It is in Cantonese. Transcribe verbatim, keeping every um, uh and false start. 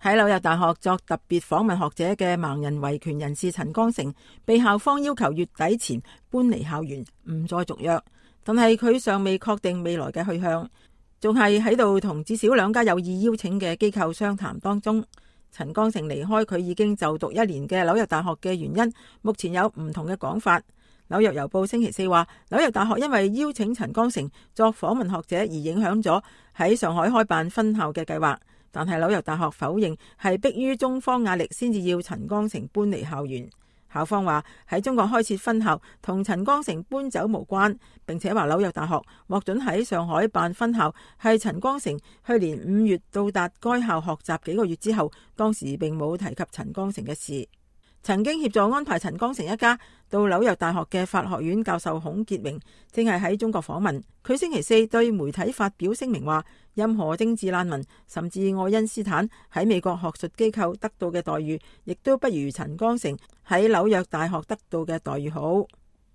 喺紐約大學作特別訪問學者嘅盲人維權人士陳光誠，被校方要求月底前搬離校園，唔再續約。但係佢尚未確定未來嘅去向，仲係喺度同至少兩家有意邀請嘅機構商談當中。陳光誠離開佢已經就讀一年嘅紐約大學嘅原因，目前有唔同嘅講法。紐約郵報星期四話，紐約大學因為邀請陳光誠作訪問學者而影響咗喺上海開辦分校嘅計劃，但係紐約大學否認係迫於中方壓力先至要陳光誠搬離校園。校方話喺中國開設分校同陳光誠搬走無關，並且話紐約大學獲准喺上海辦分校係陳光誠去年五月到達該校學習幾個月之後，當時並冇提及陳光誠嘅事。曾經協助安排陳光誠一家到紐約大學嘅法學院教授孔傑榮正係喺中國訪問。佢星期四對媒體發表聲明話，任何政治難民甚至愛因斯坦喺美國學術機構得到嘅待遇，亦都不如陳光誠喺紐約大學得到嘅待遇好。